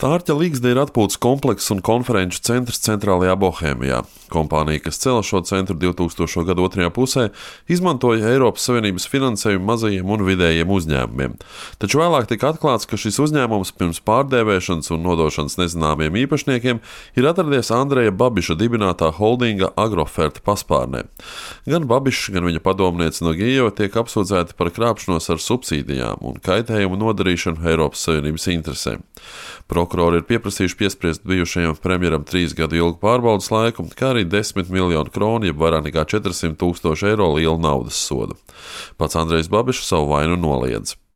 Stārķa Līgsde ir atpūtas komplekss un konferenču centrs centrālajā Bohēmijā. Kompānija, kas cēla šo centru 2000. gada otrajā pusē, izmantoja Eiropas Savienības finansējumu mazajiem un vidējiem uzņēmumiem. Taču vēlāk tika atklāts, ka šis uzņēmums pirms pārdēvēšanas un nodošanas nezināmiem īpašniekiem ir atradies Andreja Babiša dibinātā holdinga Agroferta paspārnē. Gan Babišs, gan viņa padomniece no Gijo tiek apsūdzēti par krāpšanos ar subsīdijām un kaitējumu nodarīšanu Eiropas Savienības interesēm. Prokurori ir pieprasījuši piespriest bijušajam premjeram 3 gadu ilgu pārbaudas laiku, kā arī 10 miljonu kronu, jeb vairāk nekā 400 000 eiro lielu naudas sodu. Pats Andrejs Babišs savu vainu noliedz.